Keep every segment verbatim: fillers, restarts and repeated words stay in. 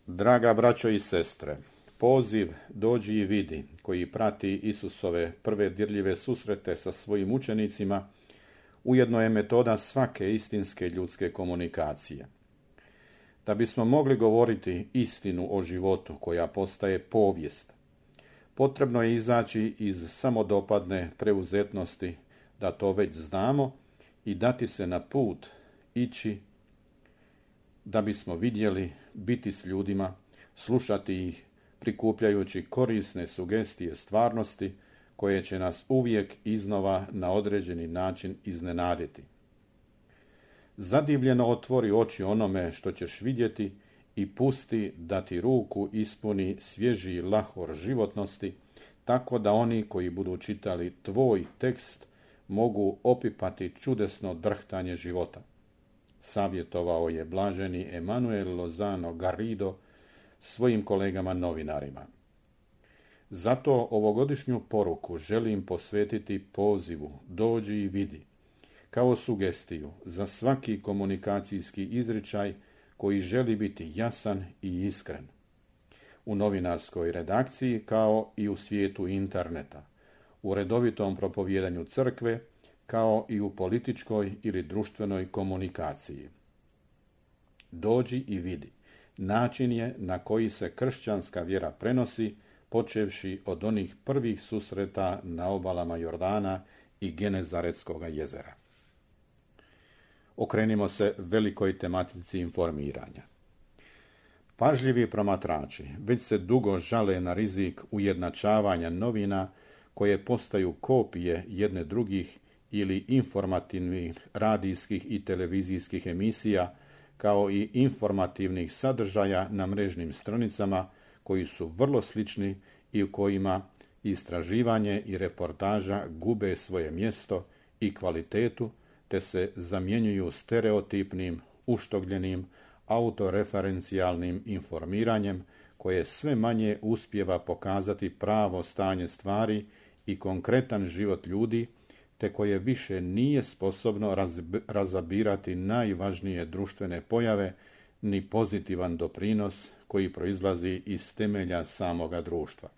Draga braćo i sestre, poziv dođi i vidi koji prati Isusove prve dirljive susrete sa svojim učenicima ujedno je metoda svake istinske ljudske komunikacije. Da bismo mogli govoriti istinu o životu koja postaje povijest, potrebno je izaći iz samodopadne preuzetnosti da to već znamo i dati se na put, ići da bismo vidjeli, biti s ljudima, slušati ih, prikupljajući korisne sugestije stvarnosti koje će nas uvijek iznova na određeni način iznenaditi. Zadivljeno otvori oči onome što ćeš vidjeti i pusti da ti ruku ispuni svježi lahor životnosti, tako da oni koji budu čitali tvoj tekst mogu opipati čudesno drhtanje života. Savjetovao je blaženi Emanuel Lozano Garrido svojim kolegama novinarima. Zato ovogodišnju poruku želim posvetiti pozivu dođi i vidi, kao sugestiju za svaki komunikacijski izričaj koji želi biti jasan i iskren. U novinarskoj redakciji kao i u svijetu interneta, u redovitom propovijedanju crkve, kao i u političkoj ili društvenoj komunikaciji. Dođi i vidi. Način je na koji se kršćanska vjera prenosi, počevši od onih prvih susreta na obalama Jordana i Genezaretskog jezera. Okrenimo se velikoj tematici informiranja. Pažljivi promatrači već se dugo žale na rizik ujednačavanja novina koje postaju kopije jedne drugih ili informativnih radijskih i televizijskih emisija, kao i informativnih sadržaja na mrežnim stranicama koji su vrlo slični i u kojima istraživanje i reportaža gube svoje mjesto i kvalitetu, te se zamjenjuju stereotipnim, uštogljenim, autoreferencijalnim informiranjem koje sve manje uspijeva pokazati pravo stanje stvari i konkretan život ljudi, te koje više nije sposobno razabirati najvažnije društvene pojave ni pozitivan doprinos koji proizlazi iz temelja samoga društva.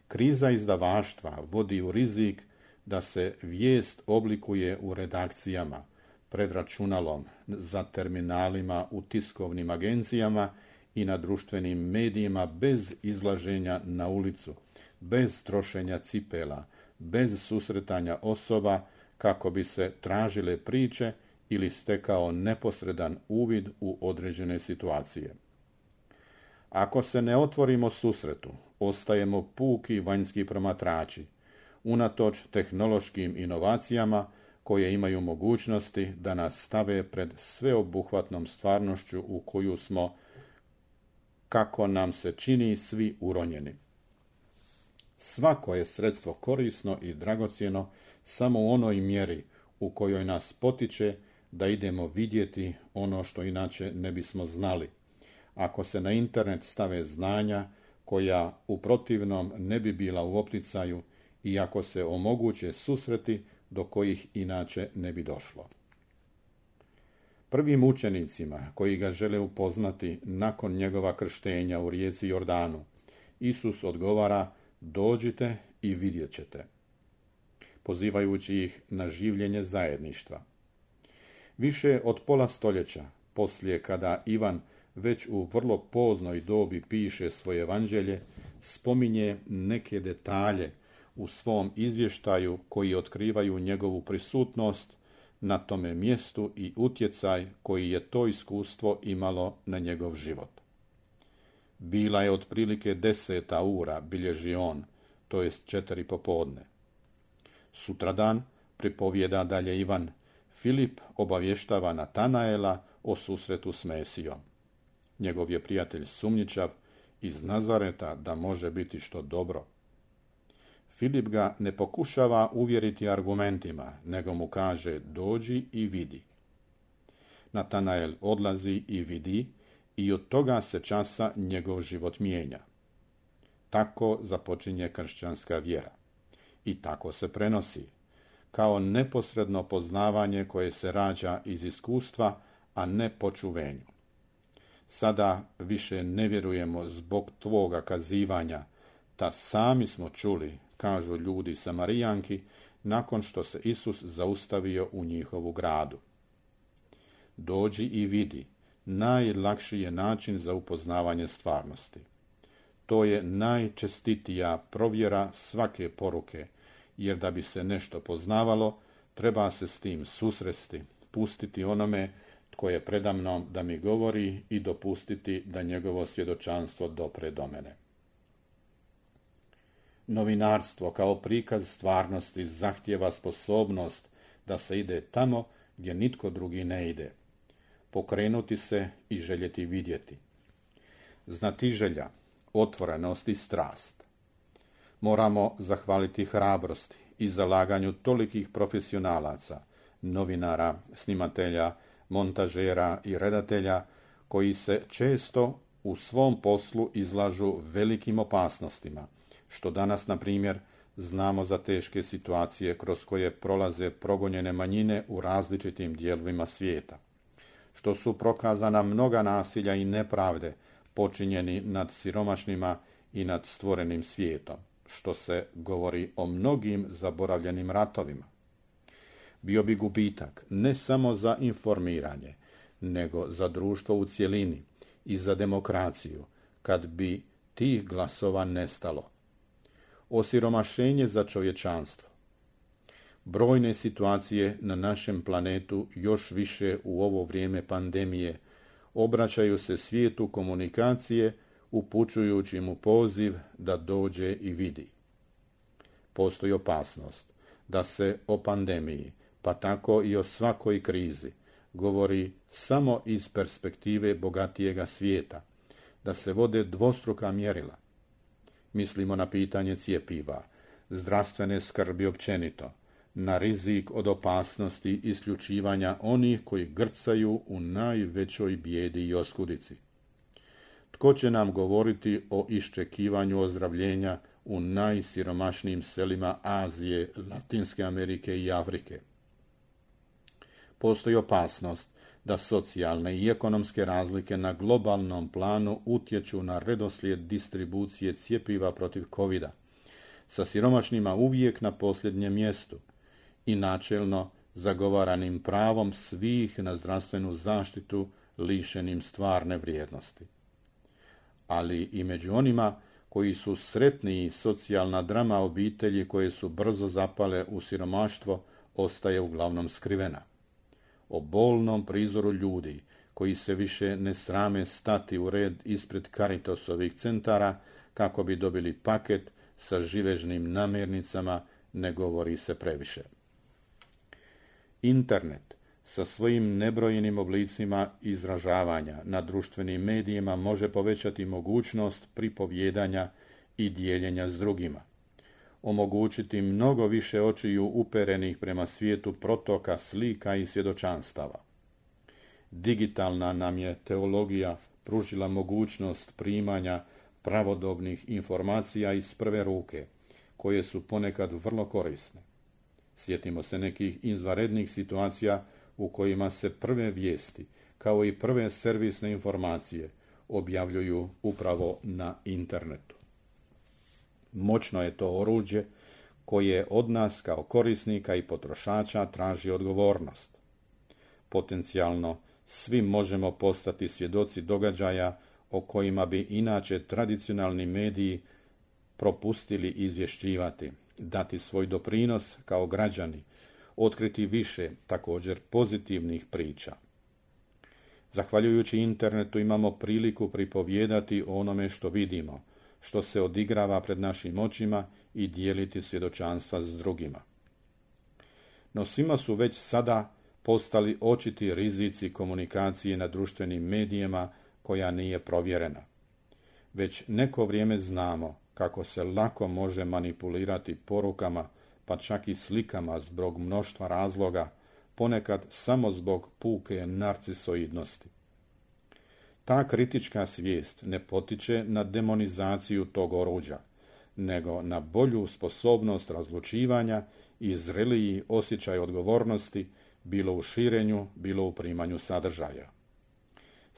Kriza izdavaštva vodi u rizik da se vijest oblikuje u redakcijama, pred računalom, za terminalima u tiskovnim agencijama i na društvenim medijima bez izlaženja na ulicu, bez trošenja cipela, bez susretanja osoba kako bi se tražile priče ili stekao neposredan uvid u određene situacije. Ako se ne otvorimo susretu, ostajemo puki vanjski promatrači, unatoč tehnološkim inovacijama koje imaju mogućnosti da nas stave pred sveobuhvatnom stvarnošću u koju smo, kako nam se čini, svi uronjeni. Svako je sredstvo korisno i dragocjeno samo u onoj mjeri u kojoj nas potiče da idemo vidjeti ono što inače ne bismo znali. Ako se na internet stave znanja koja u protivnom ne bi bila u opticaju i ako se omoguće susreti do kojih inače ne bi došlo. Prvim učenicima koji ga žele upoznati nakon njegova krštenja u rijeci Jordanu, Isus odgovara: dođite i vidjet ćete, pozivajući ih na življenje zajedništva. Više od pola stoljeća poslije, kada Ivan već u vrlo poznoj dobi piše svoje evanđelje, spominje neke detalje u svom izvještaju koji otkrivaju njegovu prisutnost na tome mjestu i utjecaj koji je to iskustvo imalo na njegov život. Bila je otprilike deseta ura, bilježi on, to jest četiri popodne. Sutradan, pripovijeda dalje Ivan, Filip obavještava Natanaela o susretu s Mesijom. Njegov je prijatelj sumnjičav iz Nazareta da može biti što dobro. Filip ga ne pokušava uvjeriti argumentima, nego mu kaže: dođi i vidi. Natanael odlazi i vidi i od toga se časa njegov život mijenja. Tako započinje kršćanska vjera. I tako se prenosi, kao neposredno poznavanje koje se rađa iz iskustva, a ne po čuvenju. Sada više ne vjerujemo zbog tvoga kazivanja, ta sami smo čuli, kažu ljudi Samarijanki, nakon što se Isus zaustavio u njihovu gradu. Dođi i vidi, najlakši je način za upoznavanje stvarnosti. To je najčestitija provjera svake poruke, jer da bi se nešto poznavalo, treba se s tim susresti, pustiti onome tko je predamnom da mi govori i dopustiti da njegovo svjedočanstvo dopre do mene. Novinarstvo kao prikaz stvarnosti zahtijeva sposobnost da se ide tamo gdje nitko drugi ne ide, pokrenuti se i željeti vidjeti. Znatiželja, otvorenost i strast. Moramo zahvaliti hrabrosti i zalaganju tolikih profesionalaca, novinara, snimatelja, montažera i redatelja, koji se često u svom poslu izlažu velikim opasnostima, što danas, na primjer, znamo za teške situacije kroz koje prolaze progonjene manjine u različitim dijelovima svijeta, što su prokazana mnoga nasilja i nepravde počinjeni nad siromašnima i nad stvorenim svijetom, što se govori o mnogim zaboravljenim ratovima. Bio bi gubitak ne samo za informiranje, nego za društvo u cjelini i za demokraciju, kad bi tih glasova nestalo. Osiromašenje za čovječanstvo. Brojne situacije na našem planetu, još više u ovo vrijeme pandemije, obraćaju se svijetu komunikacije, upućujući mu poziv da dođe i vidi. Postoji opasnost da se o pandemiji, pa tako i o svakoj krizi, govori samo iz perspektive bogatijega svijeta, da se vode dvostruka mjerila. Mislimo na pitanje cjepiva, zdravstvene skrbi općenito, na rizik od opasnosti isključivanja onih koji grcaju u najvećoj bijedi i oskudici. Tko će nam govoriti o iščekivanju ozdravljenja u najsiromašnijim selima Azije, Latinske Amerike i Afrike? Postoji opasnost da socijalne i ekonomske razlike na globalnom planu utječu na redoslijed distribucije cjepiva protiv kovida, sa siromašnima uvijek na posljednjem mjestu i načelno zagovaranim pravom svih na zdravstvenu zaštitu lišenim stvarne vrijednosti. Ali i među onima koji su sretniji, socijalna drama obitelji koje su brzo zapale u siromaštvo ostaje uglavnom skrivena. O bolnom prizoru ljudi koji se više ne srame stati u red ispred Caritasovih centara kako bi dobili paket sa živežnim namirnicama ne govori se previše. Internet sa svojim nebrojenim oblicima izražavanja na društvenim medijima može povećati mogućnost pripovjedanja i dijeljenja s drugima, omogućiti mnogo više očiju uperenih prema svijetu protoka slika i svjedočanstava. Digitalna nam je teologija pružila mogućnost primanja pravodobnih informacija iz prve ruke, koje su ponekad vrlo korisne. Sjetimo se nekih izvanrednih situacija u kojima se prve vijesti, kao i prve servisne informacije, objavljuju upravo na internetu. Moćno je to oruđe koje od nas kao korisnika i potrošača traži odgovornost. Potencijalno svi možemo postati svjedoci događaja o kojima bi inače tradicionalni mediji propustili izvješćivati, dati svoj doprinos kao građani, otkriti više također pozitivnih priča. Zahvaljujući internetu imamo priliku pripovijedati o onome što vidimo, što se odigrava pred našim očima i dijeliti svjedočanstva s drugima. No svima su već sada postali očiti rizici komunikacije na društvenim medijima koja nije provjerena. Već neko vrijeme znamo kako se lako može manipulirati porukama, pa čak i slikama zbog mnoštva razloga, ponekad samo zbog puke narcisoidnosti. Ta kritička svijest ne potiče na demonizaciju tog oruđa, nego na bolju sposobnost razlučivanja i zreliji osjećaj odgovornosti, bilo u širenju, bilo u primanju sadržaja.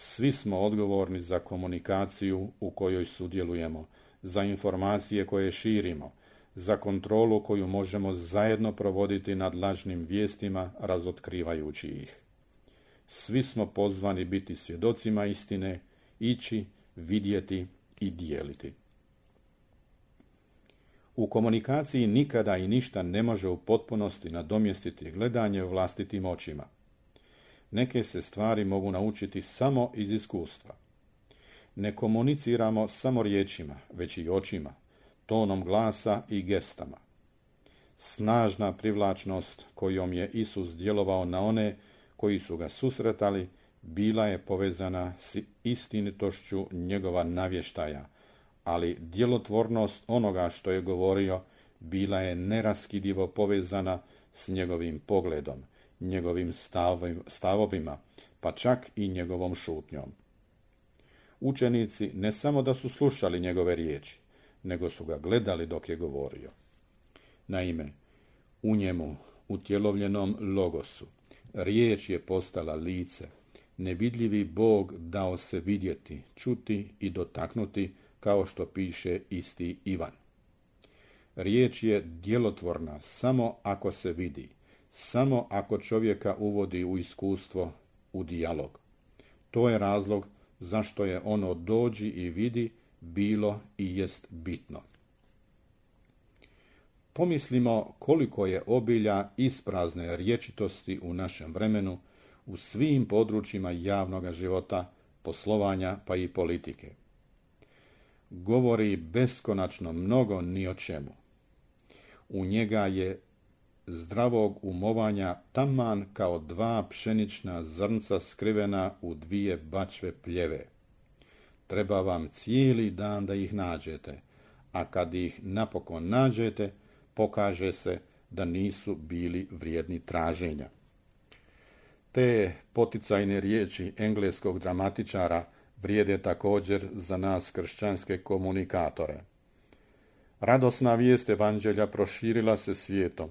Svi smo odgovorni za komunikaciju u kojoj sudjelujemo, za informacije koje širimo, za kontrolu koju možemo zajedno provoditi nad lažnim vijestima, razotkrivajući ih. Svi smo pozvani biti svjedocima istine, ići, vidjeti i dijeliti. U komunikaciji nikada i ništa ne može u potpunosti nadomjestiti gledanje vlastitim očima. Neke se stvari mogu naučiti samo iz iskustva. Ne komuniciramo samo riječima, već i očima, tonom glasa i gestama. Snažna privlačnost kojom je Isus djelovao na one koji su ga susretali, bila je povezana s istinitošću njegova navještaja, ali djelotvornost onoga što je govorio bila je neraskidivo povezana s njegovim pogledom, njegovim stavovima, pa čak i njegovom šutnjom. Učenici ne samo da su slušali njegove riječi, nego su ga gledali dok je govorio. Naime, u njemu, utjelovljenom logosu, riječ je postala lice, nevidljivi Bog dao se vidjeti, čuti i dotaknuti, kao što piše isti Ivan. Riječ je djelotvorna samo ako se vidi, samo ako čovjeka uvodi u iskustvo, u dijalog. To je razlog zašto je ono dođi i vidi bilo i jest bitno. Pomislimo koliko je obilja isprazne rječitosti u našem vremenu, u svim područjima javnog života, poslovanja pa i politike. Govori beskonačno mnogo ni o čemu. U njega je zdravog umovanja taman kao dva pšenična zrnca skrivena u dvije bačve pljeve. Treba vam cijeli dan da ih nađete, a kad ih napokon nađete, pokaže se da nisu bili vrijedni traženja. Te poticajne riječi engleskog dramatičara vrijede također za nas kršćanske komunikatore. Radosna vijest evanđelja proširila se svijetom,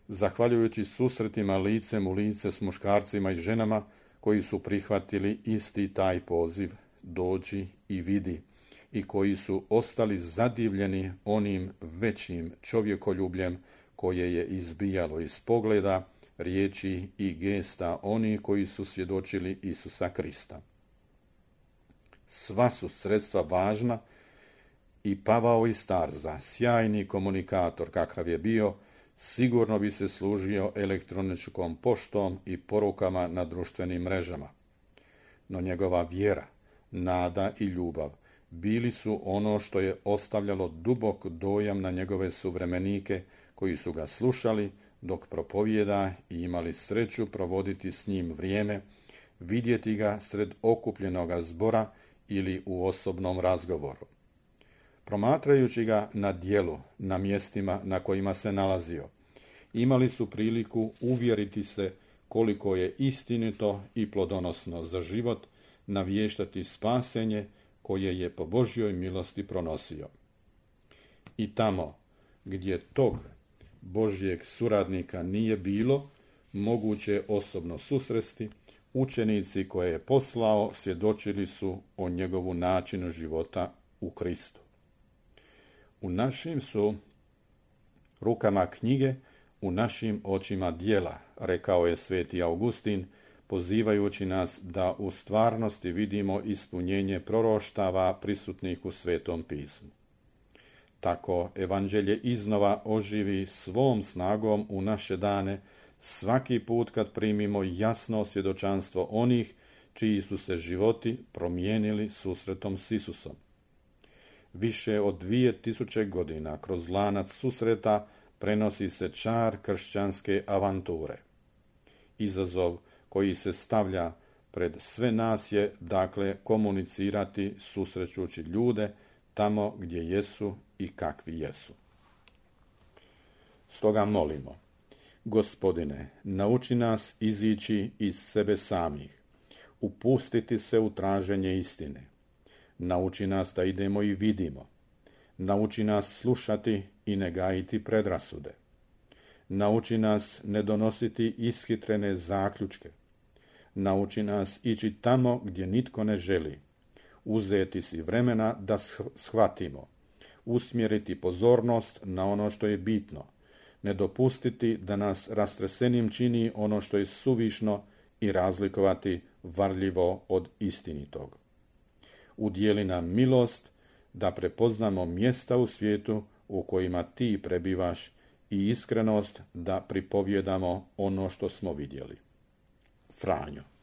zahvaljujući susretima licem u lice s muškarcima i ženama koji su prihvatili isti taj poziv, dođi i vidi, i koji su ostali zadivljeni onim većim čovjekoljubljem koje je izbijalo iz pogleda, riječi i gesta onih koji su svjedočili Isusa Krista. Sva su sredstva važna i Pavao iz Tarza, sjajni komunikator kakav je bio, sigurno bi se služio elektroničkom poštom i porukama na društvenim mrežama. No njegova vjera, nada i ljubav bili su ono što je ostavljalo dubok dojam na njegove suvremenike koji su ga slušali dok propovijeda i imali sreću provoditi s njim vrijeme, vidjeti ga sred okupljenoga zbora ili u osobnom razgovoru. Promatrajući ga na djelu, na mjestima na kojima se nalazio, imali su priliku uvjeriti se koliko je istinito i plodonosno za život navještati spasenje koje je po Božjoj milosti pronosio. I tamo gdje tog Božjeg suradnika nije bilo, moguće je osobno susresti, učenici koje je poslao svjedočili su o njegovu načinu života u Kristu. U našim su rukama knjige, u našim očima djela, rekao je sveti Augustin, pozivajući nas da u stvarnosti vidimo ispunjenje proroštava prisutnih u Svetom pismu. Tako evanđelje iznova oživi svom snagom u naše dane svaki put kad primimo jasno svjedočanstvo onih čiji su se životi promijenili susretom s Isusom. Više od dvije tisuće godina kroz lanac susreta prenosi se čar kršćanske avanture. Izazov koji se stavlja pred sve nas je, dakle, komunicirati susrećući ljude tamo gdje jesu i kakvi jesu. Stoga molimo, Gospodine, nauči nas izići iz sebe samih, upustiti se u traženje istine. Nauči nas da idemo i vidimo. Nauči nas slušati i ne gajiti predrasude. Nauči nas ne donositi ishitrene zaključke. Nauči nas ići tamo gdje nitko ne želi. Uzeti si vremena da shvatimo. Usmjeriti pozornost na ono što je bitno. Ne dopustiti da nas rastresenim čini ono što je suvišno i razlikovati varljivo od istinitog. Udijeli nam milost da prepoznamo mjesta u svijetu u kojima ti prebivaš i iskrenost da pripovjedamo ono što smo vidjeli. Franjo.